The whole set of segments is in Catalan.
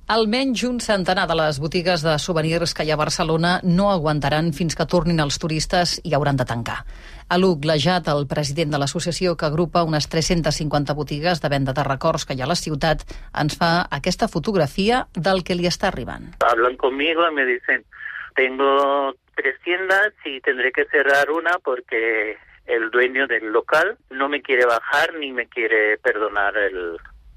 Almenys un centenar de les botigues de souvenirs que hi ha a Barcelona no aguantaran fins que tornin els turistes i hauran de tancar. Aluc Lajat, el president de l'associació que agrupa unes 350 botigues de venda de records que hi ha a la ciutat, ens fa aquesta fotografia del que li està arribant. Hablan conmigo y me dicen, tengo 3 tiendas y tendré que cerrar una porque el dueño del local no me quiere bajar ni me quiere perdonar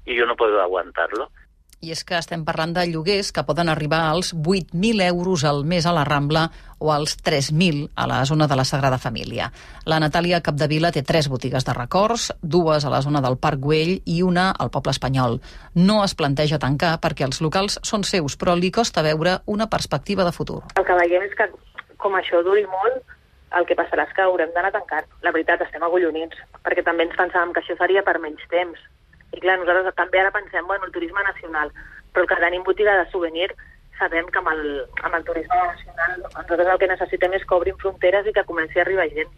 y yo no puedo aguantarlo. I és que estem parlant de lloguers que poden arribar als 8.000 euros al mes a la Rambla o als 3.000 a la zona de la Sagrada Família. La Natàlia Capdevila té 3 botigues de records, 2 a la zona del Parc Güell i una al Poble Espanyol. No es planteja tancar perquè els locals són seus, però li costa veure una perspectiva de futur. El que veiem és que, com això duri molt, el que passarà és que haurem d'anar a tancar. La veritat, estem agollonits, perquè també ens pensàvem que això seria per menys temps. I clar, nosaltres també ara pensem, el turisme nacional, però el que tenim botiga de souvenir, sabem que amb el turisme nacional nosaltres el que necessitem és que obrin fronteres i que comenci a arribar gent.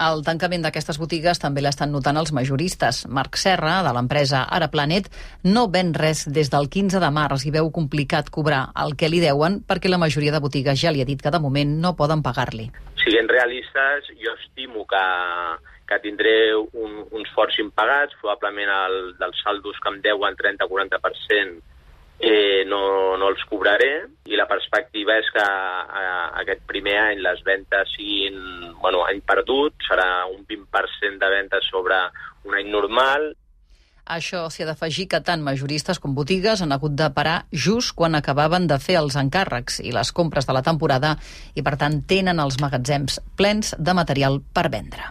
El tancament d'aquestes botigues també l'estan notant els majoristes. Marc Serra, de l'empresa Ara Planet, no ven res des del 15 de març i veu complicat cobrar el que li deuen perquè la majoria de botigues ja li ha dit que de moment no poden pagar-li. Siguent realistes, jo estimo que tindré uns forts impagats, probablement dels saldos que em deuen 30-40% no els cobraré, i la perspectiva és que aquest primer any les ventes siguin any perdut, serà un 20% de ventes sobre un any normal. A això s'hi ha d'afegir que tant majoristes com botigues han hagut de parar just quan acabaven de fer els encàrrecs i les compres de la temporada i, per tant, tenen els magatzems plens de material per vendre.